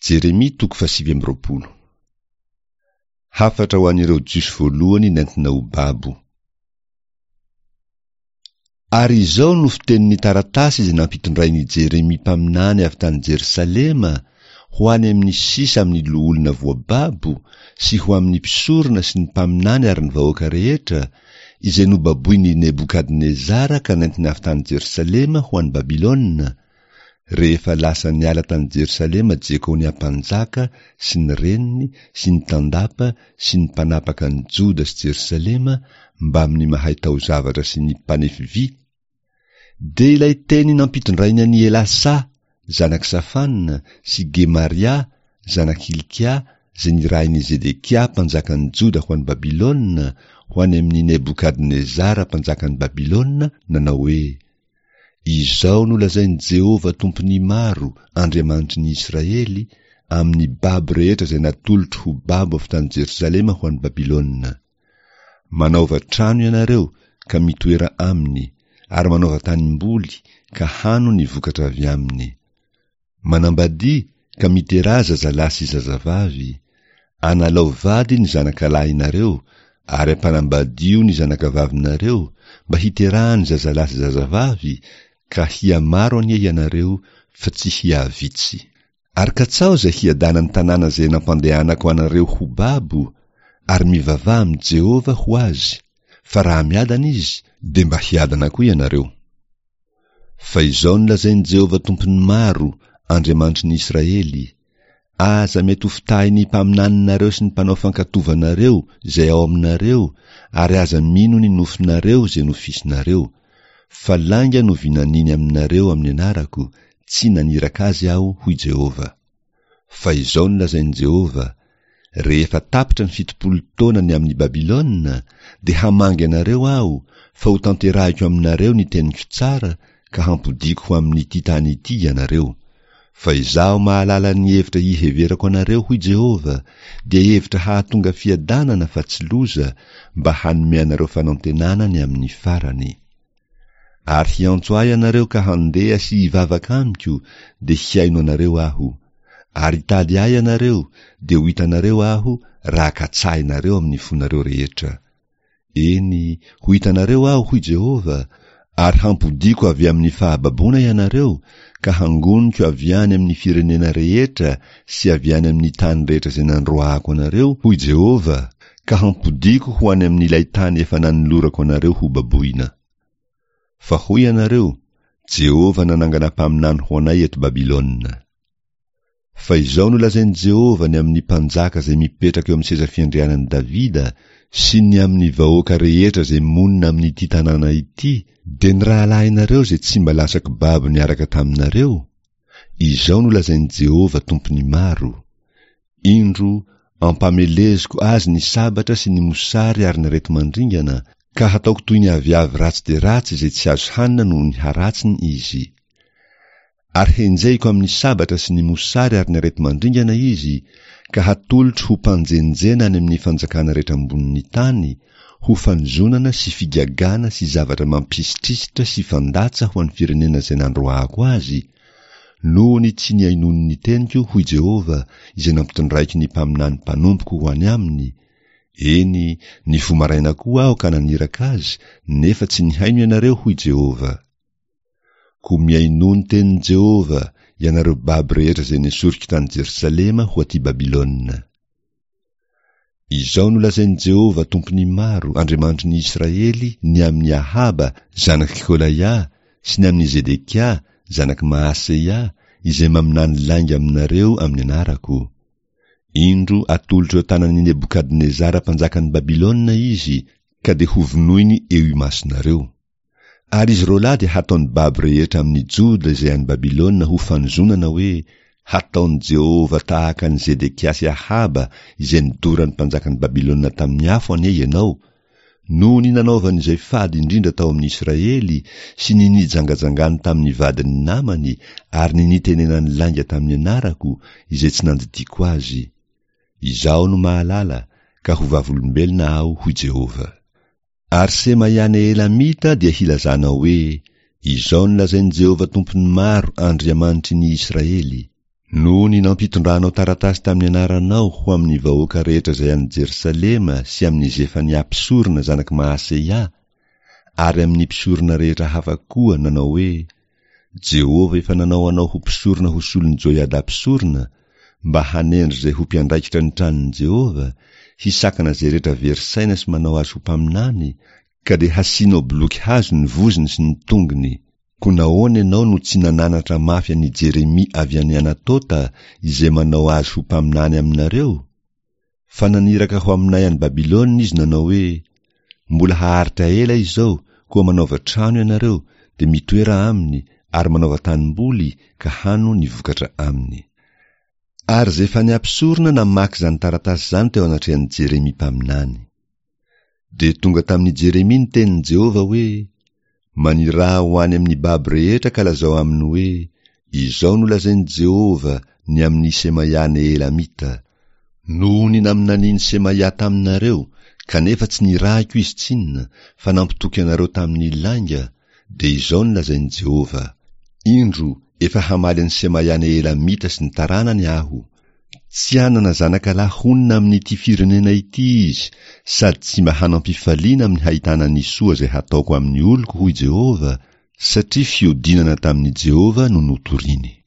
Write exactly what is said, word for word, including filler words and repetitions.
Jeremia toko fahasivy amby roapolo. Hafatra ho an'ireo Jiosy voalohany nentina ho babo. Ary izao no fitenin'ny taratasy izay nampitondrain'i Jeremia mpaminany avy tany Jerosalema ho any amin'ny sisa amin'ny loholona voababo sy ho amin'ny mpisorona sy ny mpaminany ary ny vahoaka rehetra, izay nobaboin'i Nebokadnezara ka nentiny avy tany Jerosalema ho any Babylona, rehefa lasa niala tany Jerosalema Jekonia mpanjaka sy ny reniny sy ny tandapa sy ny mpanapaka an'i Joda sy Jerosalema mbamin'ny mahay taozavatra sy ny mpanefy vy, dia ilay teny nampitondrainy an'i Elasa zanak'i Safana sy Gemaria zanak'i Hilkia izay nirahin'i Zedekia mpanjakan'i Joda ho any Babylona ho any amin'i Nebokadnezara mpanjakan'i Babylona nanao hoe, Izao no lazain'i Jehovah Tompon'ny maro, Andriamanitry ny Israely, amin'ny babo rehetra izay natolotro ho babo avy tany Jerosalema ho any Babylona, Manaova trano ianareo ka mitoera aminy, ary manaova tanimboly ka hano ny vokatra avy aminy. Manambadia ka miteraha zazalahy sy zazavavy, analao vady ny zanakalahinareo ary ampanambadio ny zanakavavinareo mba hiterahany zazalahy sy zazavavy ka hihamaro anie ianareo fa tsy hihavitsy. Ary katsaho izay hiadanan'ny tanàna izay nampandehanako anareo ho babo, ary mivavaha amin'i Jehovah ho azy, fa raha miadana izy, dia mba hiadana koa ianareo. Fa izao no lazain'i Jehovah Tompon'ny maro, Andriamanitry ny Israely, Aza mety hofitahin'ny mpaminaninareo sy ny mpanao fankatovanareo izay ao aminareo, ary aza mino ny nofinareo izay nofisinareo. Fa lainga no vinaniny aminareo amin'ny anarako, tsy naniraka azy Aho, hoy Jehovah. Fa izao no lazain'i Jehovah, Rehefa tapitra ny fitopolo taona ny amin'i Babylona, dia hamangy anareo Aho, fa hotanterahiko aminareo ny teniko tsara ka hampodiako ho amin'ity tany ity ianareo. Fa Izaho mahalala ny hevitra hiheverako anareo, hoy Jehovah, dia hevitra hahatonga fiadanana fa tsy loza, mba hanome anareo fanantenana ny amin'ny farany. Ary hiantso Ahy ianareo ka handeha sy hivavaka amiko, dia hihaino anareo Aho. Ary hitady Ahy ianareo, dia ho hitanareo Aho raha katsahinareo amin'ny fonareo rehetra. Eny, ho hitanareo Aho, hoy Jehovah, ary hampodiako avy amin'ny fahababoana ianareo, ka hangoniko avy any amin'ny firenena rehetra sy avy any amin'ny tany rehetra izay nandroahako anareo, hoy Jehovah, ka hampodiako ho any amin'ilay tany efa nanolorako anareo hobaboina. Fa hoy ianareo, Jehovah nanangana mpaminany ho anay eto Babylona. Fa izao no lazain'i Jehovah ny amin'ny mpanjaka izay mipetraka eo amin'ny seza fiandrianan'i Davida sy ny amin'ny vahoaka rehetra izay monina amin'ity tanàna ity, dia ny rahalahinareo izay tsy mba lasako babo niaraka taminareo, Izao no lazain'i Jehovah Tompon'ny maro, Indro, ampameleziko azy ny sabatra sy ny mosary ary ny areti-mandringana, ka hataoko toy ny aviavy ratsy dia ratsy izay tsy azo hanina noho ny haratsiny izy. Ary henjehiko amin'ny sabatra sy ny mosary ary ny areti-mandringana izy, ka hatolotro ho mpanjenjena any amin'ny fanjakana rehetra ambonin'ny tany, ho fanozonana sy figagana sy zavatra mampisitrisitra sy fandatsa ho an'ny firenena izay nandroahako azy, noho ny tsy nihainoany ny teniko, hoy Jehovah, izay nampitondraiko ny mpaminany mpanompoko ho any aminy, eny, nifoha maraina koa Aho ka naniraka azy, nefa tsy nihaino ianareo, hoy Jehovah. Koa mihainoa ny tenin'i Jehovah, ianareo babo rehetra izay nesoriko tany Jerosalema ho aty Babylona. Izao no lazain'i Jehovah Tompon'ny maro, Andriamanitry ny Israely, ny amin'i Ahaba, zanak'i Kolaia, sy ny amin'i Zedekia, zanak'i Maaseia, izay maminany lainga aminareo amin'ny anarako, Indro atolotro eo an-tanan'i Nebokadnezara mpanjakan'i Babylona izy, ka dia hovonoiny eo imasonareo. Ary izy roalahy dia hataon'ny babo rehetra amin'i Joda izay any Babylona ho fanozonana hoe, Hataon'i Jehovah tahaka an'i Zedekia sy Ahaba izay nodoran'ny mpanjakan'i Babylona tamin'ny afo anie ianao, noho ny nanaovany izay fady indrindra tao amin'i Israely sy ny nijangajangany tamin'ny vadin'ny namany ary ny nitenenany lainga tamin'ny anarako izay tsy nandidiako azy. Izaho no mahalala, ka ho vavolombelona Aho, hoy Jehovah. Ary Semaia Nehelamita dia hilazanao hoe, Izao no lazain'i Jehovah Tompon'ny maro, Andriamanitry ny Israely, Noho ny nampitondranao taratasy tamin'ny anaranao ho amin'ny vahoaka rehetra izay any Jerosalema sy amin'i Zefania mpisorona zanak'i Mahaseia ary amin'ny mpisorona rehetra hafa koa nanao hoe, Jehovah efa nanao anao ho mpisorona ho solon'i Joiada mpisorona, mba hanendry izay ho mpiandraikitra ny tranon'i Jehovah, hisakana izay rehetra very saina sy manao azy ho mpaminany, ka dia hasianao boloky hazo ny vozony sy ny tongony. Koa nahoana ianao no tsy nananatra mafy an'i Jeremia avy any Anatota, izay manao azy ho mpaminany aminareo? Fa naniraka ho aminay any Babylona izy nanao hoe, Mbola haharitra ela izao, koa manaova trano ianareo, dia mitoera aminy, ary manaova tanimboly, ka hano ny vokatra aminy. Ary Zefania mpisorona namaky izany taratasy izany teo anatrehan'i Jeremia mpaminany. Dia tonga tamin'i Jeremia ny tenin'i Jehovah hoe, Maniraha ho any amin'ny babo rehetra ka lazao aminy hoe, Izao no lazain'i Jehovah ny amin'i Semaia Nehelamita, Noho ny naminanian'i Semaia taminareo, kanefa tsy nirahiko izy tsinona, fa nampitoky anareo tamin'ny lainga, dia izao no lazain'i Jehovah, Indro, efa hamaly an'i Semaia Nehelamita sy ny taranany Aho. Tsy hanana zanakalahy honina amin'ity firenena ity izy, sady tsy mba hanam-pifaliana amin'ny hahitana ny soa izay hataoko amin'ny oloko, hoy Jehovah, satria fiodinana tamin'i Jehovah no notoriny.